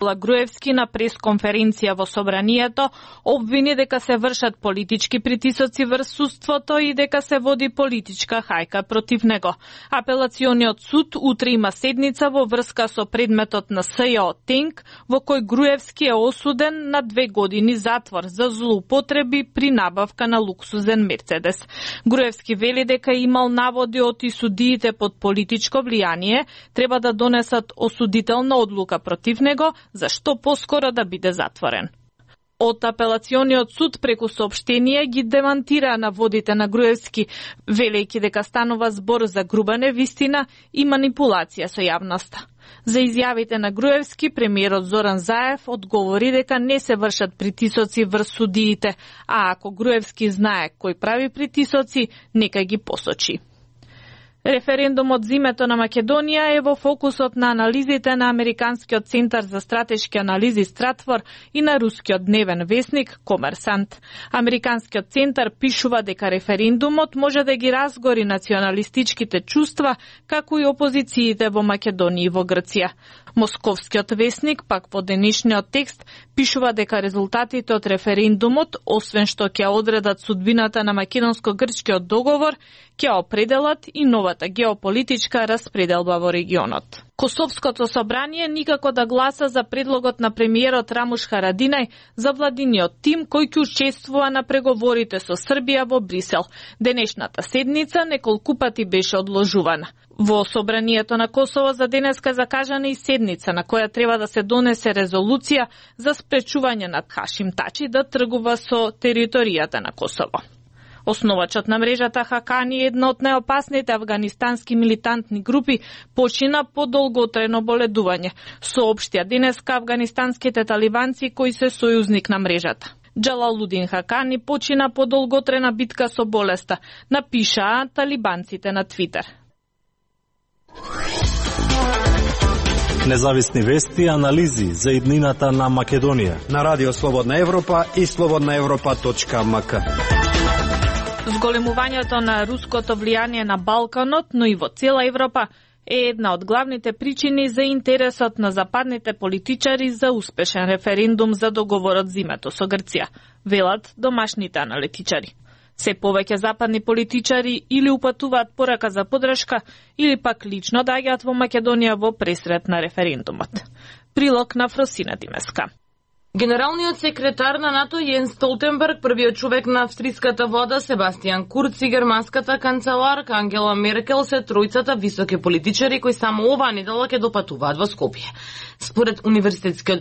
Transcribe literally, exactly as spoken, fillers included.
Груевски на пресконференција во собранието обвини дека се вршат политички притисоци врз судството и дека се води политичка хајка против него. Апелациониот суд утре има седница во врска со предметот на СЈО Тенк, во кој Груевски е осуден на две години затвор за злоупотреби при набавка на луксузен Мерцедес. Груевски вели дека имал наводи од и судиите под политичко влијание треба да донесат осудителна одлука против него, зашто поскоро да биде затворен. Од апелациониот суд преку соопштение ги демантира наводите на Груевски, велејќи дека станува збор за груба невистина и манипулација со јавноста. За изјавите на Груевски, премиерот Зоран Заев одговори дека не се вршат притисоци врз судиите, а ако Груевски знае кој прави притисоци, нека ги посочи. Референдумот за името на Македонија е во фокусот на анализите на Американскиот центар за стратешки анализи Стратфор и на рускиот дневен весник Комерсант. Американскиот центар пишува дека референдумот може да ги разгори националистичките чувства, како и опозициите во Македонија и во Грција. Московскиот весник пак во денешниот текст пишува дека резултатите од референдумот, освен што ќе одредат судбината на македонско-грчкиот договор, ќе определат и новата геополитичка распределба во регионот. Косовското собрание никако да гласа за предлогот на премиерот Рамуш Харадинај за владиниот тим кој ќе учествува на преговорите со Србија во Брисел. Денешната седница неколку пати беше одложувана. Во собранието на Косово за денеска закажана и седница на која треба да се донесе резолуција за спречување на Хашим Тачи да тргува со територијата на Косово. Основачот на мрежата Хакани, една од најопасните афганистански милитантни групи, почина по долготрено боледување, соопштија денеска афганистанските талибанци кои се сојузник на мрежата. Джалалудин Хакани почина по долготрена битка со болеста, напишаа талибанците на Твитер. Независни вести и анализи за иднината на Македонија на Радио Слободна Европа и слободна европа точка ем ка. Зголемувањето на руското влијание на Балканот, но и во цела Европа, е една од главните причини за интересот на западните политичари за успешен референдум за договорот за името со Грција, велат домашните аналитичари. Се повеќе западни политичари или упатуваат порака за подршка, или пак лично доаѓаат во Македонија во пресрет на референдумот. Прилог на Фросина Димеска. Генералниот секретар на НАТО Јенс Столтенберг, првиот човек на австриската влада Себастијан Курц и германската канцеларка Ангела Меркел се тројцата високи политичари кои само оваа недела ќе допатуваат во Скопје. Според универзитетскиот